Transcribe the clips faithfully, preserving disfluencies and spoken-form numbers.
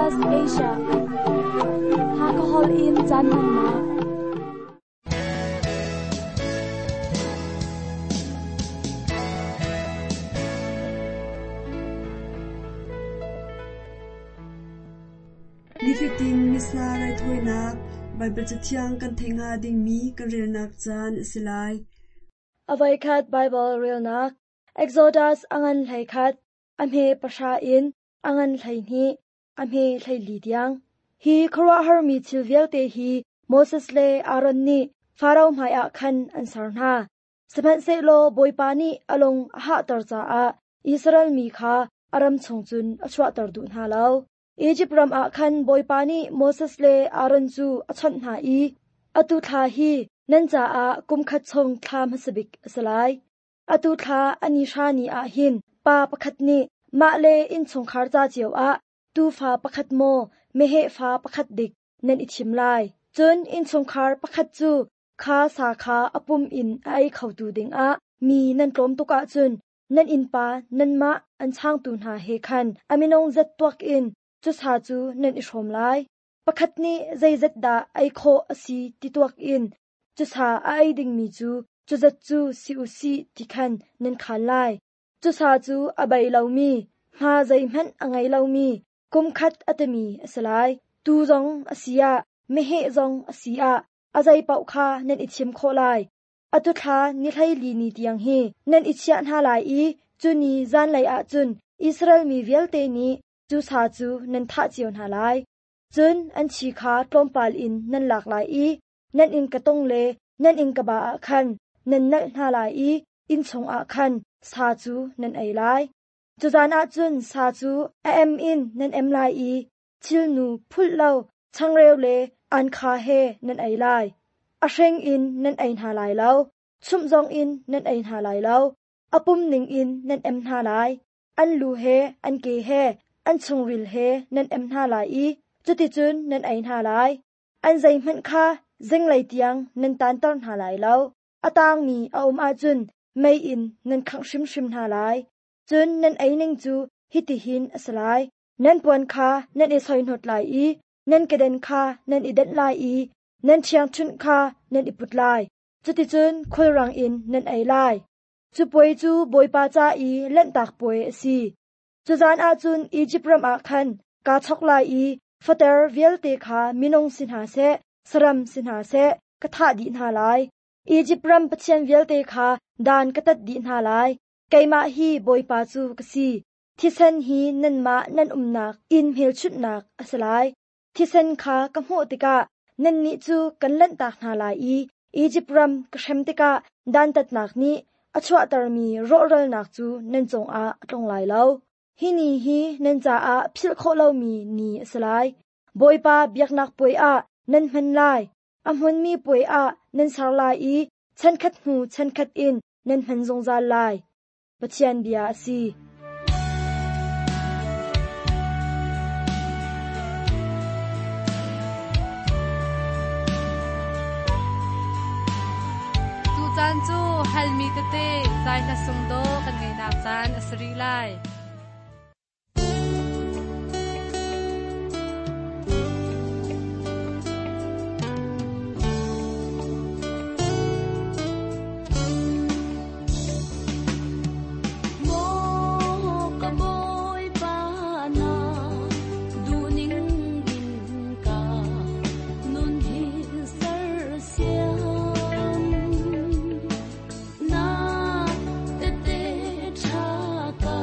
S B S Asia Hakahol in caan hmannak. Nifatin Missa raithawinak Baibal Cathiang kan theih hnga dingmi kan relnak caan a si lai. Avoikhat Bible relnak Exodus angan hlei khat a hme pahra in angan hleihnih a hme hleili tiang. Hi khuaruahharmi thil vialte hi Moses le Aaron nih Faro hmaiah khan an ser hna. Sihmanhsehlaw Bawipa nih a lung a hahter caah Israel mi kha a ram chung cun a chuahter duh hna lo. Izipt ram ah khan Bawipa nih Moses le Aaron cu a chawnh hna i, Atu thla hi nan caah kum khat chung thla hmasa bik a si lai. Atu thla a ni hra ni ah hin pa pakhat nih mah le innchungkhar ca cio ah tuufa pakhat maw meheh fa pakhat dik nan i thim lai. Cun innchungkhar pakhat cu kha sa kha a pum in a ei khotu dingah mi nan tlawm tuk ahcun nan innpa nanmah an changtu hna he khan a minung zat tuak in cu sa cu nan i hrawm lai. Pakhat nih zeizat dah ei khawh a si ti tuak in cu sa a ei dingmi cu cu zat cu si u sih ti khan nan khaan lai. Cu sa cu a bei lomi, hma zeihmanh a ngei lomi, kum khat a timi a si lai. Tuu zong a si ah, meheh zong a si ah, a zei paoh kha nan i thim khawh lai. Atu thla ni hleili ni tiang hi nan i chiah hna lai i cu ni zanlei ah cun Israel mi vialte nih cu sa cu nan thah cio hna lai. Cun an thi kha tlawmpal in nan lak lai i nan inn ka tong le nan inn ka ba ah khan nan nalh hna lai i inn chungah khan sa cu nan ei lai. Cu zan ah cun sa cu a em in nan em lai i thilnu phulh lo changreu le ankha he nan ei lai. A hreng in nan ei hna lai lo, chumh zong in nan ei hna lai lo, a pum ning in nan em hna lai. An lu he an ke he an chungril he nan em hna lai i cuticun nan ei hna lai. An zeihmanh kha zinglei tiang nan tanter hna lai lo. A tangmi a um ahcun mei in nan khangh hrimhrim hna lai. Cun nan ei ning cu hitihin a si lai. Nan puan kha nan i soihnawt lai i nan keden kha nan i denh lai i nan ṭhiangṭhunh kha nan i put lai. Cuticun khulrang in nan ei lai. Cu puai cu Bawipa ca i Lanhtak Puai a si. Cu zan ah cun Izipt ram ah khan kaa chok lai i fater vialte kha minung si hna seh, saram si hna seh, ka thah dih hna lai. Izipt ram pathian vialte kha dan ka tat dih hna lai. Keimah hi Bawipa cu ka si. Thisen hi nanmah nan umnak inn hmelchunhnak a si lai. Thisen kha ka hmuh tikah nannih cu kan lanhtak hna lai i Izipt ram ka hrem tikah dantatnak nih a chuahtermi rawhralnak cu nan cungah a tlung lai lo. Hi ni hi nan caah philh khawh lomi ni a si lai. Bawipa biaknak puai ah nan hman lai. A hmunmi puai ah nan ser lai i chankhat hnu chankhat in nan hman zungzal lai. Pathian bia a si. Tu caan cu halmi tete zai hla sung do kan ngeinak caan a si rih lai. Maw ka Bawipa na duhning in ka nun hi sersiam. Na tete tha ka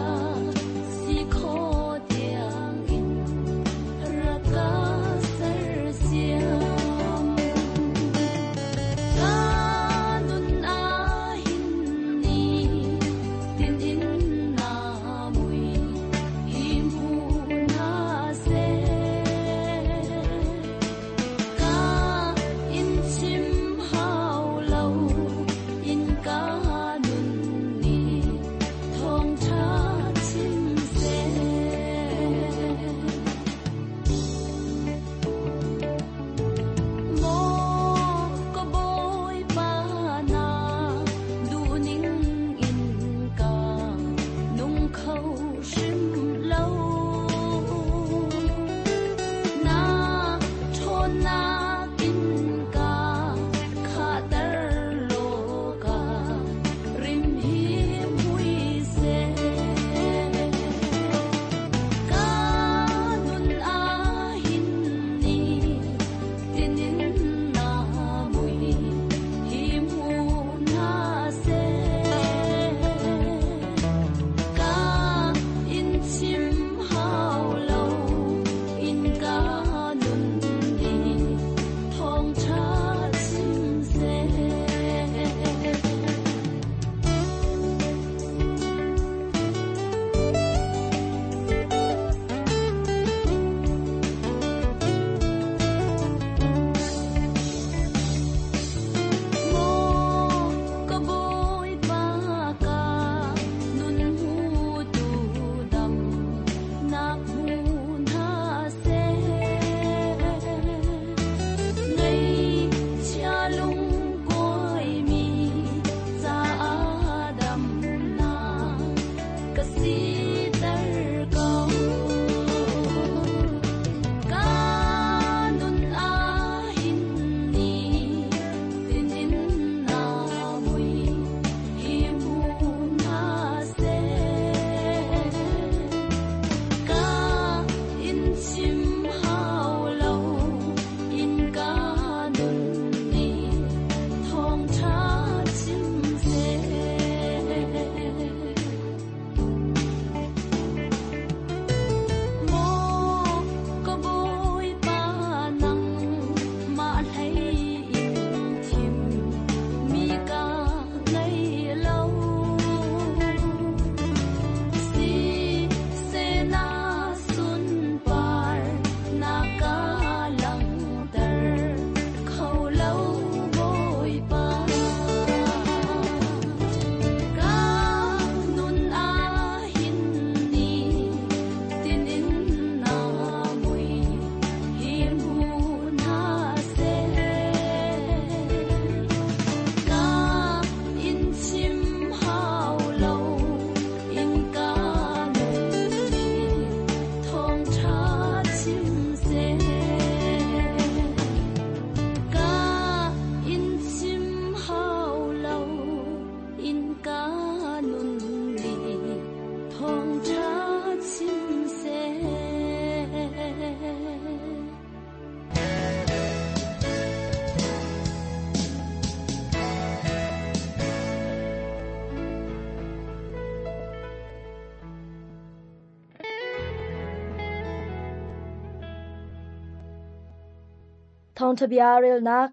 Thawngṭha bia relnak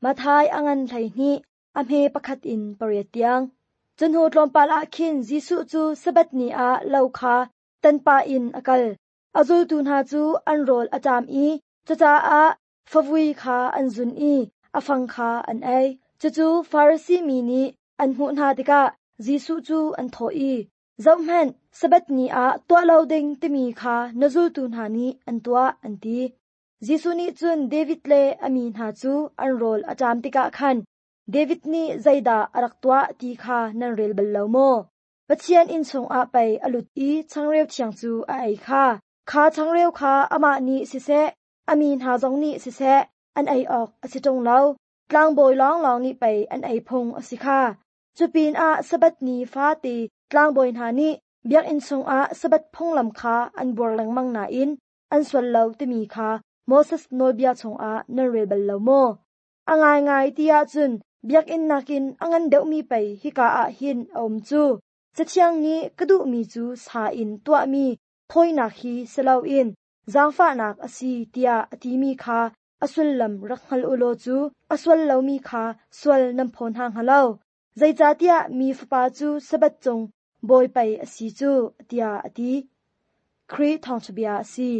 Matthai a ngan hleihnih a hme pakhat in pariat tiang. Cu hnu tlawmpal ah khin Jesuh cu Sabbath ni ah lo kha tanpah in a kal. A zultu hna cu an rawl a ṭam i cucaah favui kha an zun i a fang kha an ei. Cucu Farasi mi nih an hmuh hna tikah Jesuh cu an thawh i, Zohhmanh, Sabbath ni ah tuah lo ding timi kha na zultu hna nih an tuah, an ti. Jesuh nih cun David le a mi hna cu an rawl a ṭam tikah khan David nih zeidah a rak tuah ti kha nan rel bal lo maw? Pathian inn chungah pei a lut i changreu thiang cu a ei kha. Kha changreu kha amah nih siseh, a mi hna zong nih siseh, an ei awk a si ṭung lo. Tlangbawi lawnglawng nih pei an ei phung a si kha. Cu pinah Sabbath ni fate tlangbawi hna nih biakinn chungah Sabbath phunglam kha an buar lengmang nain an sual lo timi kha Moses nawlbia chungah nan rel bal lo maw? A ngaingai ti ahcun biakinn nakin a ngan deuhmi pei hika ah hin a um cu. Cathiang nih ka duhmi cu sa in tuahmi thawinak hi si loin zaangfahnak a si tiah a timi kha a sullam rak hngal u law cu a sual lomi kha sual nan phaw hna hnga lo. Zeicahtiah mi Fapa cu Sabbath cung bawi pei a si cu, tiah a ti. Khrih thawngṭha bia a si.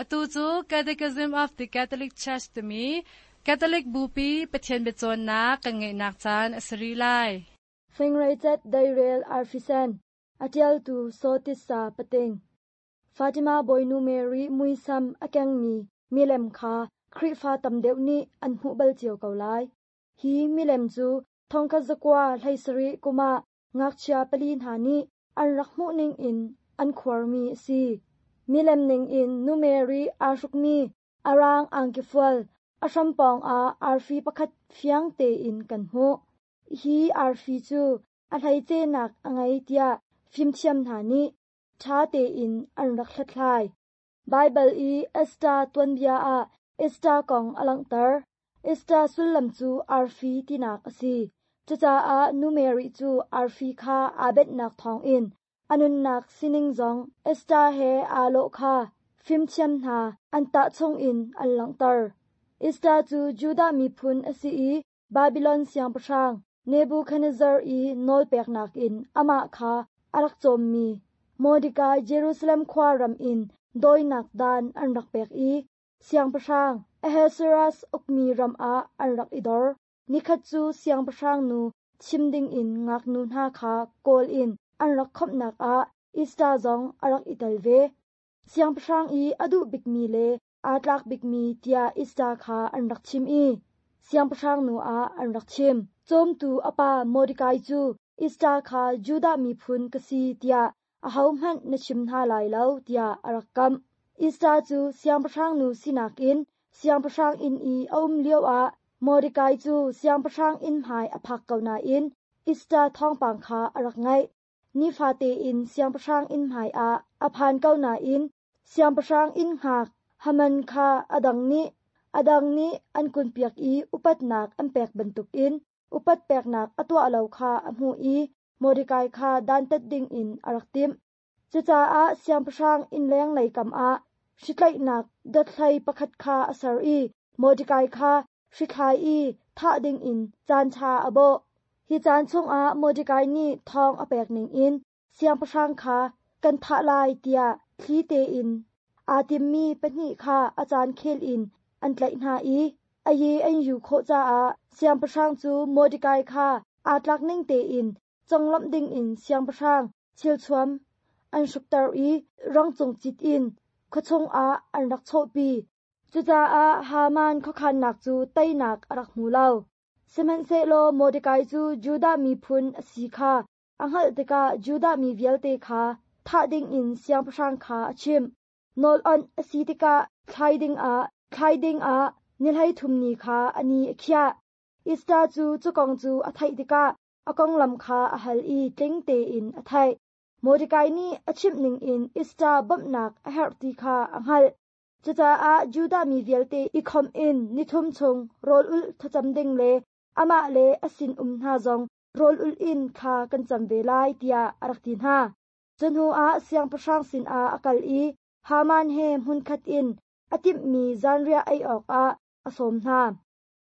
Atu cu Catechism of the Catholic Church timi Catholic Bupi Pathian biacawnnak kan ngeihnak caan a si rih lai. Fingreicat Dairel Arfisen, a ṭialtu Sawtissa Pating. Fatima Bawinu Mary muisam a kengmi milem kha Khrihfa tam deuh nih an hmuh bal cio ko lai. Hi milem cu thongkhat zakua hleisarih kum ah ngakchia pali hna nih an rak hmuh ning in an khuarmi a si. Milem ning in Nu Mary aa hrukmi arang angkifual a hrampawng ah arfi pakhat fiang tein kan hmuh. Hi arfi cu a hleicenak a ngei tiah fimthiam hna nih ṭha tein an rak hlathlai. Baibal i Esther tuanbia ah Esther kong a langhter. Esther sullam cu arfi tinak a si. Cucaah Nu Mary cu arfi kha aa benhnak thawngin a nunnak sining zong Esther he aa lawh kha fimthiam hna an tahchung in an langhter. Esther cu Judah miphun a si i Babylon siangpahrang Nebuchadnezzar i nawlpeknak in amah kha a rak cawmmi Mordecai Jerusalem khua ram in dawinak dan an rak pek i siangpahrang Ahasuerus ukmi ram ah an rak i dor. Nikhat cu siangpahrang nu chim dingin ngaknu hna kha kawl in an rak khawmhnak ah Esther zong a rak i tel ve. Siangpahrang i a duh bikmi le aa tlak bikmi tiah Esther kha an rak chim i siangpahrang nu ah an rak chim. Cawmtu a pa Mordecai cu Esther kha Judah miphun ka si tiah ahohmanh na chim hna lai lo tiah a rak kamh. Esther cu siangpahrang nu sinak in siangpahrang inn i a um lioah Mordecai cu siangpahrang inn hmai a phak ko nain Esther thawngpang kha a rak ngaih. Nifate in siangpahrang inn hmai ah a phan ko nain siangpahrang inn hngak Haman kha a dang nih a dang nih an kunpiak i upatnak an pek bantukin upat peknak a tuah lo kha a hmuh i Mordecai kha dantat dingin a rak timh. Cucaah siangpahrang inn lenglei kam ah hritlaihnak dothlei pakhat kha a ser i Mordecai kha hrithlai i thah dingin caan ṭha a bawh. Hi caan chungah Mordecai nih thawng a pek ningin siangpahrang kha kan thah lai tiah thli tein aa timmi pahnih kha a caan khel in an tlaih hna i a ye an yu khawh caah siangpahrang cu Mordecai kha aa tlak ning tein conglawmh dingin siangpahrang thilthuam an hrukter i rangcung cit in khuachung ah an rak chawhpi. Cucaah Haman khuakhannak cu teinak a rak hmu lo. Sihmanhsehlaw Mordecai cu Judah miphun a si kha a hngalh tikah Judah mi vialte kha thah dingin siangpahrang kha a chimh. Nawl onh a si tikah thlai dingah thlai dingah ni hleithum ni kha a ni a khiah. Esther cu cu kong cu a theih tikah a konglam kha a hal i tling tein a theih. Mordecai nih a chimh ningin Esther bawmhnak a herh ti kha a hngalh. Cucaah Judah mi vialte i khawmh in nithum chung rawl ulh thlacam ding le amah le a sinum hna zong rawl ulh in thla kan cam ve lai tiah a rak ti hna. Cu hnuah siangpahrang sinah a kal i Haman he hmunkhat in a timhmi zanriah ei awkah a sawm hna.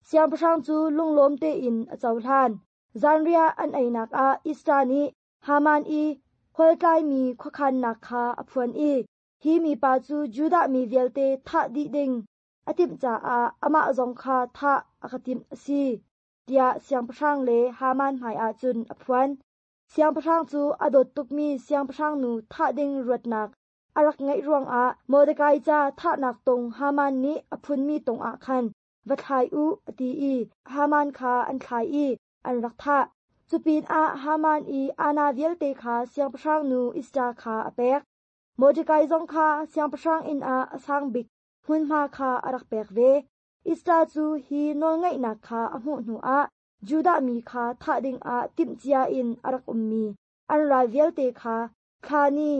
Siangpahrang cu lunglawm tein a cohlan. Zanriah an einak ah Esther nih Haman i khualtlaimi khuakhannak kha a phuan i hi mipa cu Judah mi vialte thah dih ding a timh caah amah zong kha thah a ka timh a si, tiah siangpahrang le Haman hmaiah cun a phuan. Siangpahrang cu a dawt tukmi siangpahrang nu thah ding ruatnak a rak ngeih ruangah Mordekai ca thahnak tung Haman nih a phunmi tung ah khan va thlai u a ti i Haman kha an thlai i an rak thah. Cupinah Haman i ana vialte kha siangpahrang nu Esther kha a pek. Mordekai zong kha siangpahrang inn ah a sang bik hmunhma kha a rak pek ve. Esther cu hi nawlngeihnak kha a hmuh hnuah Judah mi kha thah dingah timhcia in a rak ummi an ral vialte kha thla ni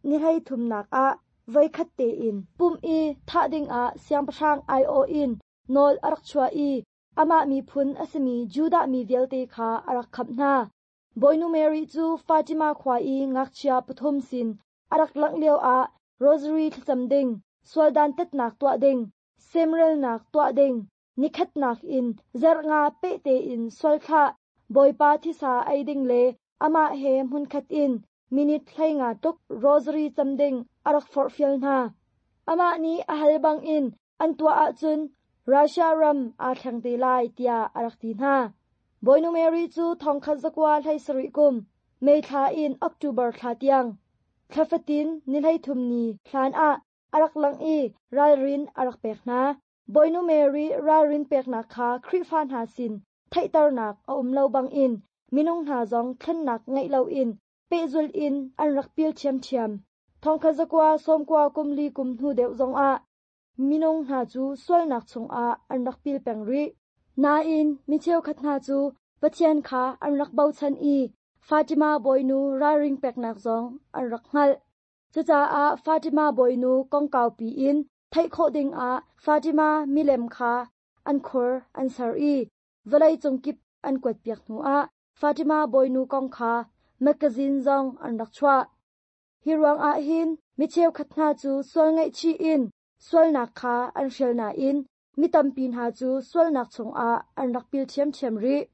ni hleithumnak ah voikhat tein pumh i thah dingah siangpahrang aiawh in nawl a rak chuah i amah miphun a simi Judah mi vialte kha a rak khamh hna. Bawinu Mary cu Fatima khua i ngakchia pathum sin a rak langh lioah rosary thlacam ding, sualdan tetnak tuah ding, semrelnak tuah ding, nikhatnak in zarh nga peh tein sualthlah, Bawipa thisa ei ding le amah he hmunkhat in minute hlei nga tuk rosary cam ding a rak forhfial hna. Amah nih a hal bangin an tuah ahcun Russia ram aa thleng te lai tiah a rak ti hna. Bawinu Mary cu thongkhat zakua hlei sarih kum, May thla in October thla tiang, thla fatin ni hleithum ni hlan ah a rak lang i ralrin a rak pek hna. Bawinu Mary ralrin peknak kha Khrihfa hna sin theihternak a um lo bangin minung hna zong thlennak ngeih loin pehzul in an rak pil ṭhiamṭhiam. Thongkhat zakua sawmkua kum li kum hnu deuh zongah minung hna cu sualnak chungah an rak pil peng rih. Nain mi cheukhat hna cu Pathian kha an rak bochan i Fatima bawinu ralring peknak zong an rak hngalh. Cucaah Fatima bawinu kongkau piin theih khawh dingah Fatima milem kha an khur an ser i vawlei cung kip an kuatpiak hnuah Fatima bawinu kong kha magazine zong an rak chuah. Hi ruangah hin mi cheukhat hna cu sual ngaihchih in sualnak kha an hrial nain mi tampi hna cu sualnak chungah an rak pil ṭhiamṭhiam rih.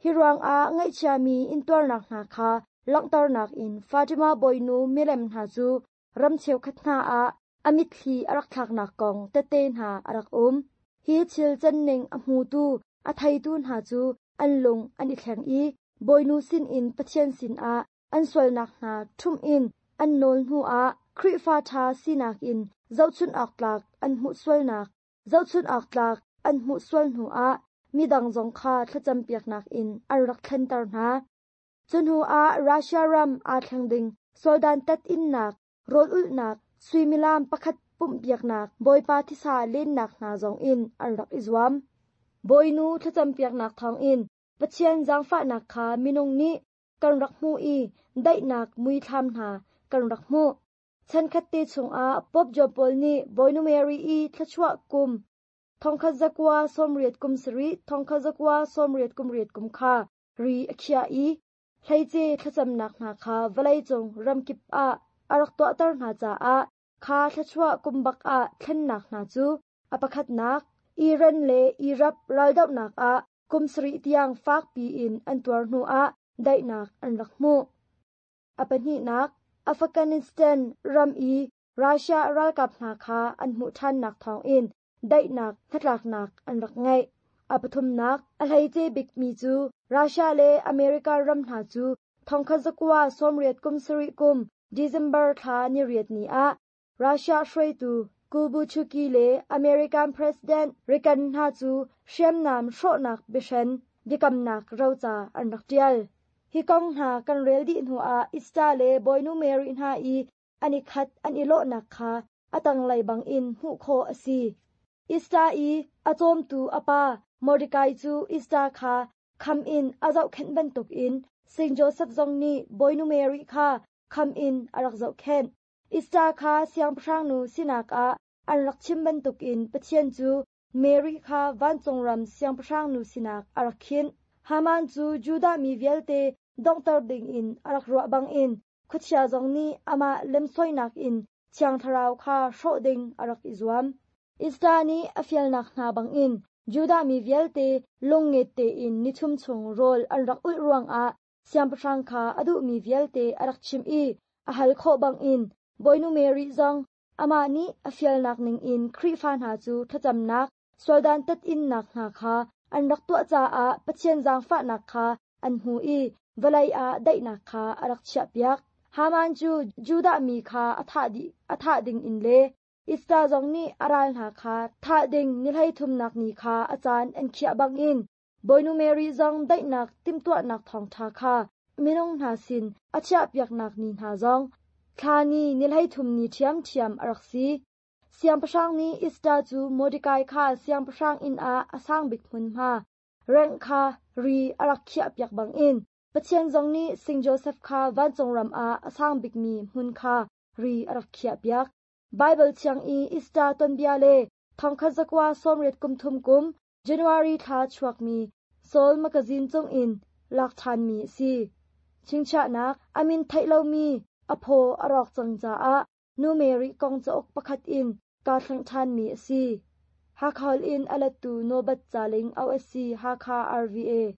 Hi ruangah ngaihchiami intuarnak hna kha langhternak in Fatima bawinu milem hna cu ram cheukhat hna ah a mitthli a rak thlaknak kong tete hna a rak um. Hi thil canning a hmutu a theitu hna cu an lung an i thleng i bawinu sinin Pathian sinah an sualnak hna ṭhumh in an nawl hnuah Khrihfa ṭha sinak in zohchunh awk tlak an hmuh sualnak, zohchunh awk tlak an hmuh sual hnuah midang zong kha thlacampiaknak in an rak thlenter hna. Cu hnuah Russia ram aa thleng ding sualdan tat innak, rawl ulhnak, suimilam pakhat pumhpiaknak, Bawipa thisa lennak hna zong in an rak i zuam. Bawinu thlacampiaknak thawngin Pathian zaangfahnak kha minung nih kan rak hmuh i daihnak muithlam hna kan rak hmuh. Chankhat te chungah Pope John Paul nih Bawinu Mary i thluachuah kum thongkhat zakua sawmriat kum sarih thongkhat zakua sawmriat kum riat kum kha ri a khiah i hleice thlacamnak hna kha vawleicung ramkip ah a rak tuahter hna caah kha thluachuah kum bak ah thlennak hna cu a pakhatnak Iran le Iraq raldohnak ah kum sarih tiang fakpi in an tuar hnuah daihnak an rak hmuh. A pahnihnak Afghanistan ram i Russia ralkap hna kha an hmuh ṭhannak thawngin daihnak hnatlaknak an rak ngeih. A pathumnak a hleice bikmi cu Russia le America ram hna cu thongkhat zakua sawmriat kum sarih kum December thla ni riat ni ah Russia hruaitu Kubuchuki le American President Reagan hna cu hriamnam hrawhnak biahren biakamnak roca an rak ṭial. Hi kong hna kan rel dih hnuah Esther le Bawinu Mary hna i an i khat an i lawhnak kha a tanglei bangin hmuh khawh a si. Esther i a cawmtu a pa Mordecai cu Esther kha kham in a zohkhenh bantukin Saint Joseph zong nih Bawinu Mary kha kham in a rak zohkhenh. Esther kha siangpahrang nu sinak ah an rak chim bantukin Pathian cu Mary kha vancung ram siangpahrang nu sinak a rak khinh. Haman cu Judah mi vialte donghter dingin a rak ruah bangin khuachia zong nih amah lemsoinak in Thiang Thlarau kha hrawh ding a rak i zuam. Esther nih a fialnak hna bangin Judah mi vialte lungnget tein nithum chung rawl an rak ulh ruangah siangpahrang kha a duhmi vialte a rak chimh i a hal khawh bangin Bawinu Mary zong amah nih a fialnak ningin Khrihfa hna cu thlacamnak, sualdan tat innak hna kha an rak tuah caah Pathian zaangfahnak kha an hmu i vawlei ah daihnak kha a rak chiahpiak. Haman cu Judah mi kha a thah, dih, a thah ding in le Esther zong nih a ral hna kha thah ding ni hleithumnak ni kha a caan an khiah bangin Bawinu Mary zong daihnak timhtuahnak thawngṭha kha minung hna sin a chiahpiaknak ni hna zong thla ni ni hleithum ni ṭhiamṭhiam a rak si. Siangpahrang nih Esther cu Mordecai kha siangpahrang inn ah a sang bik hmunhma rengh kha ri a rak khiahpiak bangin Pathian zong nih Saint Joseph kha vancung ram ah a sang bikmi hmun kha ri a rak khiahpiak. Baibal thiang i Easter tonbia le thongkhat zakua sawmriat kum thum kum January thla chuakmi Soul magazine cungin lak ṭhanmi a si. Chingchiahnak amin theih lomi a phaw a rawk cang caah Nu Mary kong cauk pakhat in kaa thleng ṭhanmi a si. Hakha in a lettu Nobat Caling OSC Hakha RVA.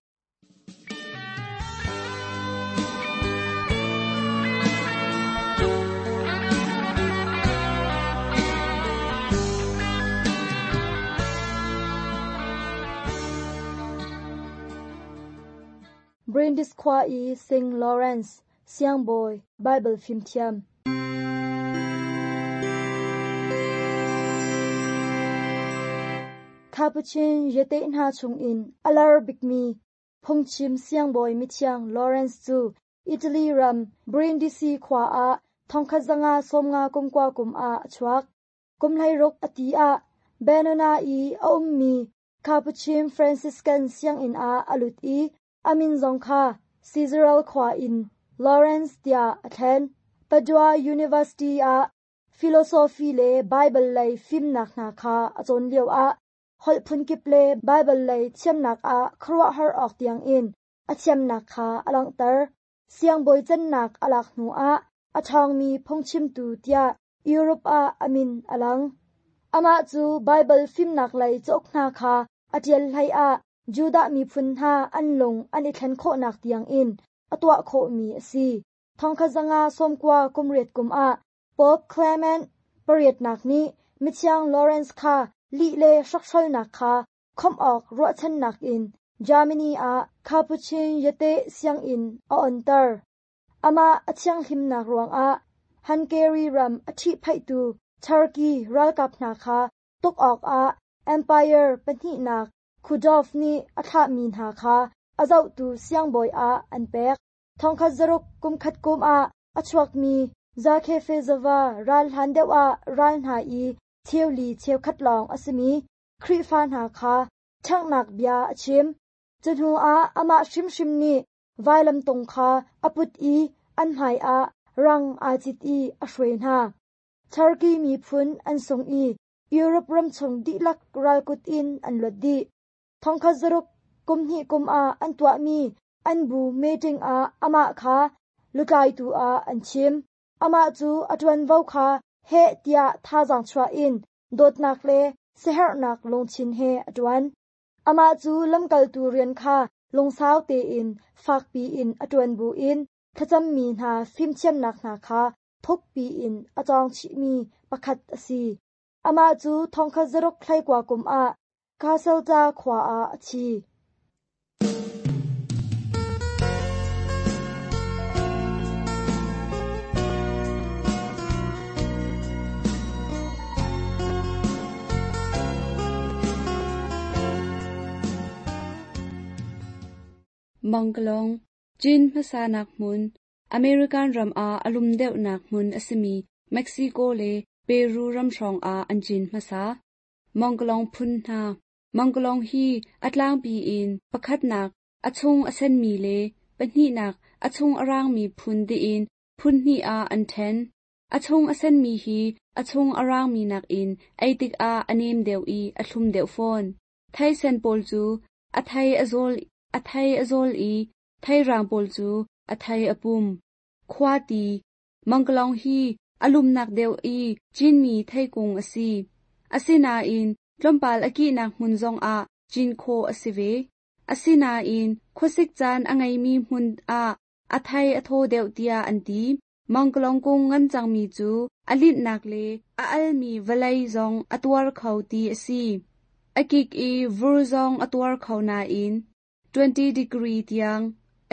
Brindis khua i Saint Lawrence Siangbawi Bible fimthiam. Capuchin yate hna chungin alar bikmi phungchim siangbawi mithiang Lawrence cu Italy ram Brindisi khua ah thongkhat zanga sawmnga kumkua kum ah a chuak. Kum hleiruk a ti ah Benona i a ummi Capuchin Franciscan sianginn ah a lut i amin zong kha Caesaral khua in Lawrence tiah a thlen. Padua University ah philosophy le Bible lei fimnak hna kha a cawn lio ah holh phunkip le Bible lei thiamnak ah khuaruahhar awk tiangin a thiamnak kha a langhter. Siangbawi cannak a lak hnu ah a ṭhawngmi phungchimtu tiah Europe ah a min a lang. Amah cu Bible fimnak lei cauk hna kha a ṭial hlei ah Judah miphun hna an lung an i thlen khawhnak tiangin a tuah khawhmi a si. Thongkhat zanga sawmkua kumriat kum ah Pope Clement pariatnak nih mithiang Lawrence kha lih le hrokhhrolnak kha khawmh awk ruahchannak in Germany ah Capuchin yate sianginn a onter. Amah a thianghlimnak ruangah Hungary ram a ṭhihphaihtu Turkey ralkap hna kha tuk awkah Empire pahnihnak Khudov nih a thlahmi hna kha a zohtu siangbawi ah an pek. Thongkhat zaruk kumkhat kum ah a chuakmi Zakefezova ral hlan deuh ah ral hna i cheuli cheukhat lawng a simi Khrihfa hna kha ṭhanghnak bia a chim. Cu hnu ah amah hrimhrim nih vailamtung kha a put i an hmaiah rang aa cit i a hruai hna. Turkey miphun an sung i Europe ram chung dihlak ralkut in an luat dih. Thongkhat zaruk kum hnih kum ah an tuahmi an bu meeting ah amah kha lutlaitu ah an chim. Amah cu a ṭuanvo kha heh tiah thazaang chuah in dawtnak le siaherhnak lungthin he a ṭuan. Amah cu lamkaltu rian kha lungsau tein fakpi in a ṭuan buin thlacammi hna fimthiamnak hna kha thukpi in a cawng chihmi pakhat a si. Amah cu thongkhat zaruk hleikua kum ah Casalta khua ah a thi. Mangkalong, Chin hmasa nak hmun, American ram ah alum deuh nak hmun a simi Mexico le Peru ram hrawng ah an cin hmasa. Mangkalong phun hna. Mangkalong hi a tlangpi in pakhatnak a chung a senmi le pahnihnak a chung a rangmi phun tiin phun hnih ah an ṭhen. A chung a senmi hi a chung a raangmi nakin ei tikah a nem deuh i a thlum deuh fawn. Thei sen pawl cu a thei a zawl, a thei a zawl i thei raang pawl cu a thei a pum. Khuati Mangkalong hi a lumnak deuh i cinmi theikung a si. Asinain tlawmpal a kihnak hmun zongah cin khawh a si ve. Asinain khuasik caan a ngeimi hmun ah a thei a thaw deuh tiah an ti. Mangkalong kung ngan cangmi cu a linhnak le a almi vawlei zong a tuar kho ti a si. A kik i vur zong a tuar kho nain twenty degree tiang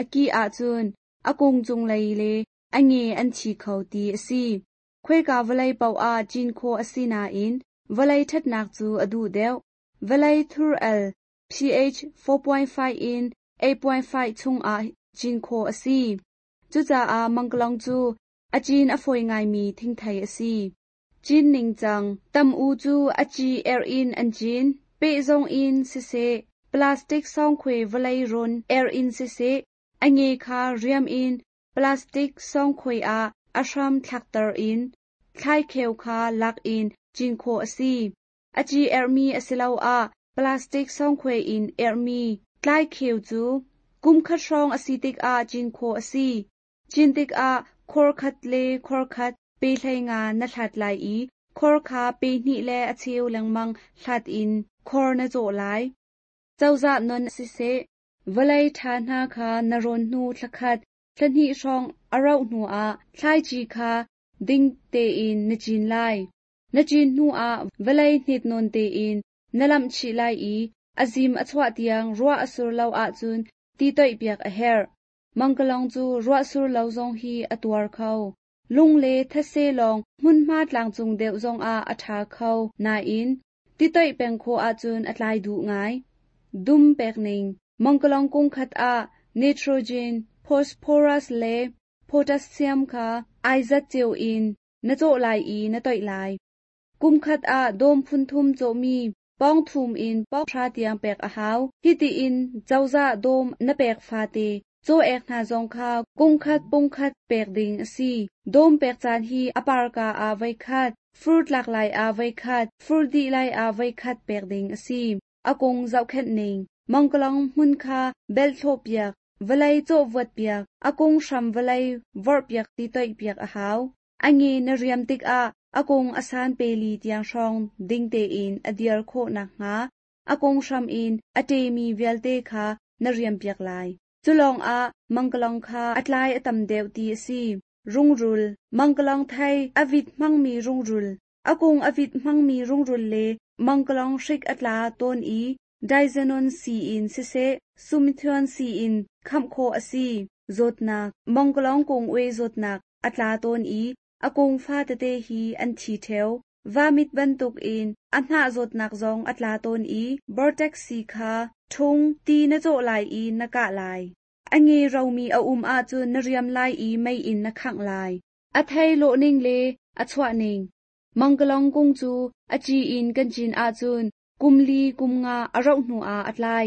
a kih ahcun a kung cunglei le a nge an thi kho ti a si. Khuaika vawlei paoh ah cin khawh a si nain vawlei ṭhatnak cu a duh deuh. Vawlei thur al pH four point five in eight point five chungah cin khawh a si. Cucaah mangkalong cu a cin a fawi ngaimi thingthei a si. Cin ningcang tam u cu a ci er in an cin, pehzong in siseh, plastic sawngkhuai vawlei rawn er in siseh, a nge kha riam in plastic sawngkhuai ah a hram thlakter in thlaikheu kha lak in cin khawh a si. A ci ermi a si lo ah plastic sawngkhuai in ermi tlaikheu cu kum khat hrawng a si tikah cin khawh a si. Cin tikah khor khat le khor khat pe hlei nga na hlat lai i khor kha pe hnih le a cheu lengmang hlat in khor na cawh lai. Cozah non siseh, vawlei ṭha hna kha na rawn hnu thlakhat, thlahnih hrawng a rauh hnuah thlaici kha ding tein na cin lai. Na cin hnuah vawlei hnit nawn tein na lamh chih lai i a zim a chuah tiang ruah a sur lo ahcun ti toih piak a herh. Mangkalong cu ruah sur lo zong hi a tuar kho. Lung le these lawng hmunhma tlangcung deuh zongah a ṭha kho nain ti toih peng khawh ahcun a tlai duh ngai. Dum pek ning Mangkalong kung khat ah nitrogen, phosphorus le potassium kha ai zat ceu in na cawh lai i na toih lai. Kum khat ah dawm phun thum cawhmi pawng thum in pawng hra tiang pek a hau. Hiti in cozah dawm na pek fate caw ek hna zong kha kung khat pung khat pek ding a si. Dawm pek caan hi a parka ah voi khat, fur tlak lai ah voi khat, fur dih lai ah voi khat pek ding a si. A kung zohkhenh ning Mangkalong hmun kha bel thlawh piak, vawlei cawh vuat piak, a kung hram vawlei vorh piak ti toih piak a hau. A nge na riam tikah a kung a san peli tiang hrawng ding tein a dir khawh nakhnga a kung hram in a ṭemi vialte kha na riam piak lai. Cu lawngah mangkalong kha a tlai a tam deuh ti a si. Rungrul Mangkalong thei a vit hmangmi rungrul a kung a vit hmangmi rungrul le mangkalong hrik a tla tawn i Diazenon si in siseh, sumithion si in khamh khawh a si. Zawtnak Mangkalong kung ue zawtnak a tla tawn i a kung fa tete hi an thi ṭheo. Vamit bantuk in a hnah zawtnak zong a tla tawn i vortex si kha ṭhung ti na cawh lai i na kah lai. A nge romi a um ahcun na riam lai i mei in na khangh lai. A thei lawh ning le a chuah ning Mangkalong kung cu a ci in kan cin ahcun kum li kum nga a rauh hnuah a tlai.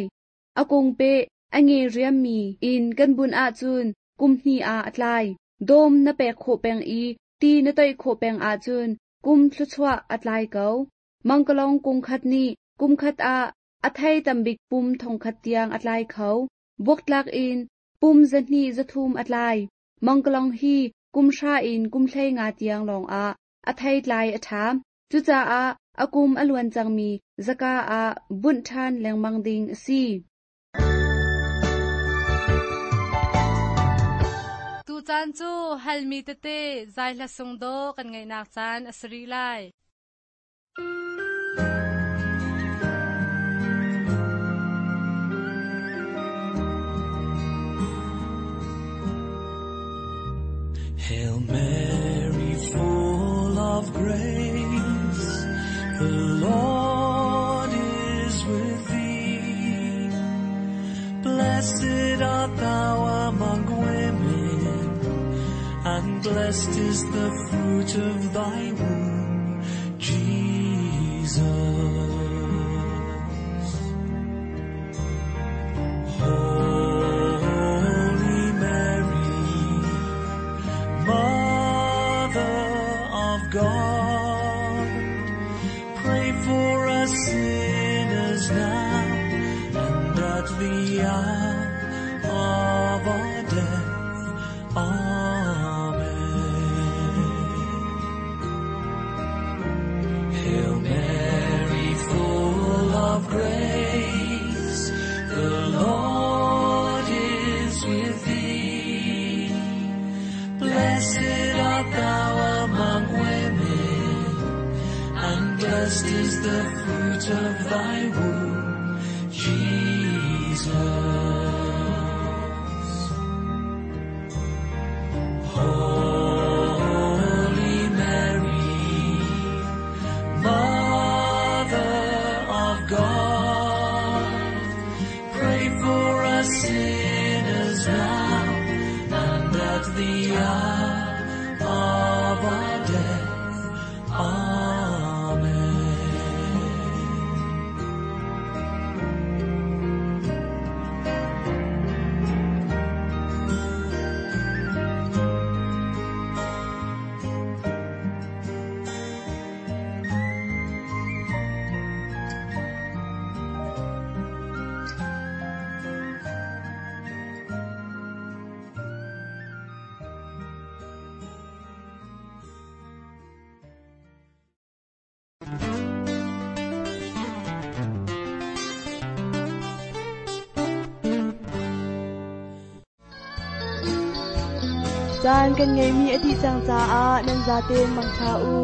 A kung pe a nge riammi in kan bun ahcun kum hnih ah a tlai. Dawm na pek khawh peng i ti na toih khawh peng ahcun kum thluachuah a tlai ko. Mangkalong kung khat nih kum khat ah a thei tambik pum thong khat tiang a tlai kho. Buaktlak in pum zahnih zathum a tlai. Mangkalong hi kum hra in kum hlei nga tiang lawngah a thei tlai a ṭha. Cucaah a kum a luan cangmi zaka ah bunh ṭhan lengmang ding a si. Tu caan cu halmi tete zai hla sung do kan ngaihnak caan a si rih lai. Hail Mary, full of grace, the Lord is with thee. Blessed art thou among women, and blessed is the fruit of thy womb, Jesus. Holy Mary, Mother Hail Mary, full of grace, the Lord is with thee. Blessed art thou among women, and blessed is the fruit of thy womb, Jesus. Holy Mary, Mother of God, pray for us sinners now and at the hour of our death. Amen. Caan kan ngeimi a dih cang caah nan zaten mangṭha u.